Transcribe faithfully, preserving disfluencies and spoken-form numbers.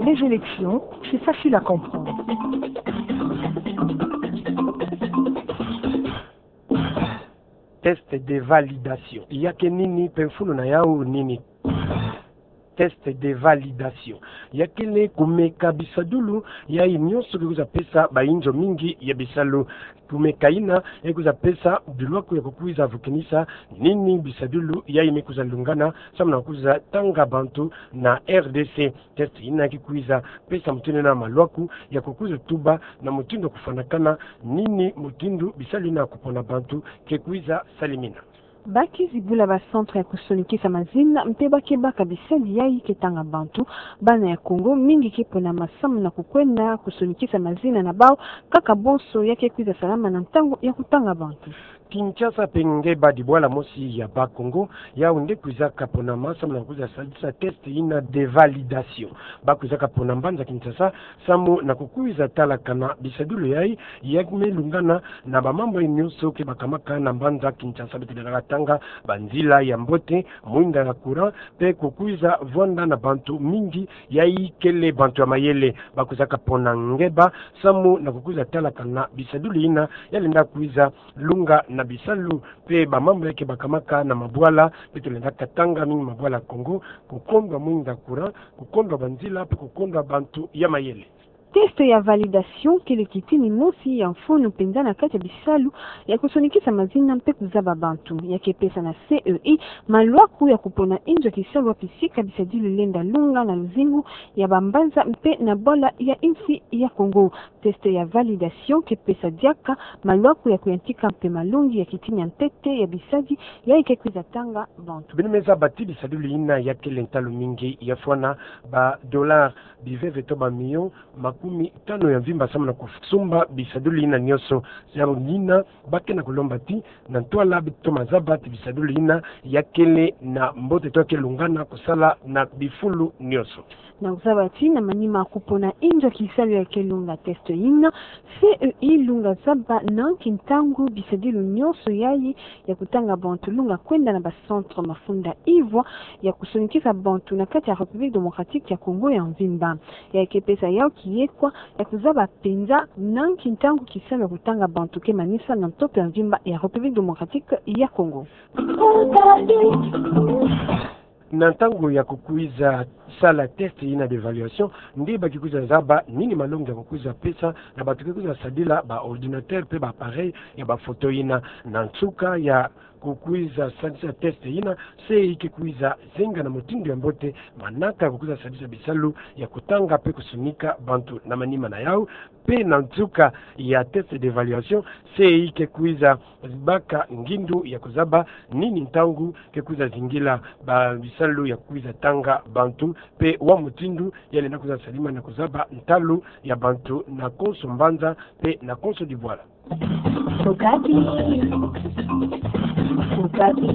Les élections, c'est facile à comprendre. Test de validation. Ya ke nini, mpe mfunu na yau nini? Test de validation ya kele kumeka bisadulu yai nyonso ke kwiza pesa bainzo mingi ya bisalu. Kumeka ina ya kwiza pesa bilwaku ya kukwiza vukinisa nini bisadulu yai me kwiza lungana samu na kukwiza tanga bantu na R D C. Test ina ke kwiza pesa mutindu na malwaku ya kukwiza tuba na mutindu ya kufwanakana nini mutindu bisalu ina ya kupona bantu ke kwiza salimina. Ba kizi bula ba centre ya kusonikisa mazina, mpe ba ke baka bisadi yai ke tanga bantu. Bana ya Kongo mingi ke ponama samu na kukwenda kusonikisa mazina na bau, kaka bonso ya ke kwiza salama na ntangu ya kutanga bantu. Kinshasa mpe nge ba dibwala mosi ya ba Kongo, yau nde kwizaka ponama samu na kukwiza sadisa test ina de validation. Ba kwizaka pona mbanza Kinshasa, samu na kukwiza talakana bisadulu yai, ya me lungana na bamambu nyonso ke bakamaka na mbanza Kinshasa. Beto lenda katanga banzila ya mbote, mwinda ya courant, mpe kukwiza vwanda na bantu mingi yai kele bantu ya mayele. Ba kwizaka pona nge ba, samu na kukwiza talakana bisadulu ina ya lenda kwiza lunga na bisalu, mpe bamambu ya ke bakamaka na mabwala. Beto lenda katanga mingi mabwala Kongo, kukondwa mwinda courant, kukondwa banzila, mpe kukondwa bantu ya mayele. Test ya validation kele kitini mosi ya mfunu mpenza na kati ya bisalu ya kusonikisa mazina mpe kuzaba bantu. Ya ke pesa na C E I malwaku ya kupona inzo ya kisalu wapi sika bisadulu lenda lunga na luzingu ya bambanza mpe na bwala ya insi ya Kongo. Test ya validation ke pesa diaka malwaku ya kuyantika mpe malongi ya kitini ya ntete ya bisadi yai ke kwiza tanga bantu. Beno me zaba ti bisadulu ina ya kele ntalu mingi, ya fwana ba dollars biveve to ba millions makumi tanu ya mvimba samu na kusumba bisadulu ina nyonso. Yau nina ba ke na kulomba ti na ntwala beto toma zaba ti bisadulu ina ya kele na mbote to ya ke lungana kusala na bifulu nyonso. Na kuzaba ti na manima kupona inzo ya kisalu ya ke lunga test ina, C E I lunga zaba nanki ntangu bisadulu nyonso yai ya kutanga bantu lunga kwenda na ba centre mafunda ivwa ya kusonikisa bantu na kati ya République Démocratique ya Congo ya mvimba. Ya ke pesa yau kiyekwa ya kuzaba mpenza nanki ntangu kisalu ya kutanga bantu ke manisa na ntoto ya mvimba ya République Démocratique ya Congo. Na ntangu ya kukwiza sala test ina d'évaluation, nde ba ke kwiza zaba nini malongi ya kukwiza pesa na bantu ke kwiza sadila ba ordinateur mpe ba appareil ya ba photo ina. Na nsuka ya kukwiza sadisa test ina, C E I ke kwiza zenga na mutindu ya mbote manaka ya kukwiza sadisa bisalu ya kutanga mpe kusonika bantu na manima na yau. Mpe na nsuka ya test d'évaluation, C E I ke kwiza baka ngindu ya kuzaba nini ntangu ke kwiza zingila ba bisalu ya kwiza tanga bantu, mpe wa mutindu ya lenda kwiza salima na kuzaba ntalu ya bantu na konso mbanza mpe na konso dibwala. Okapi. Okapi.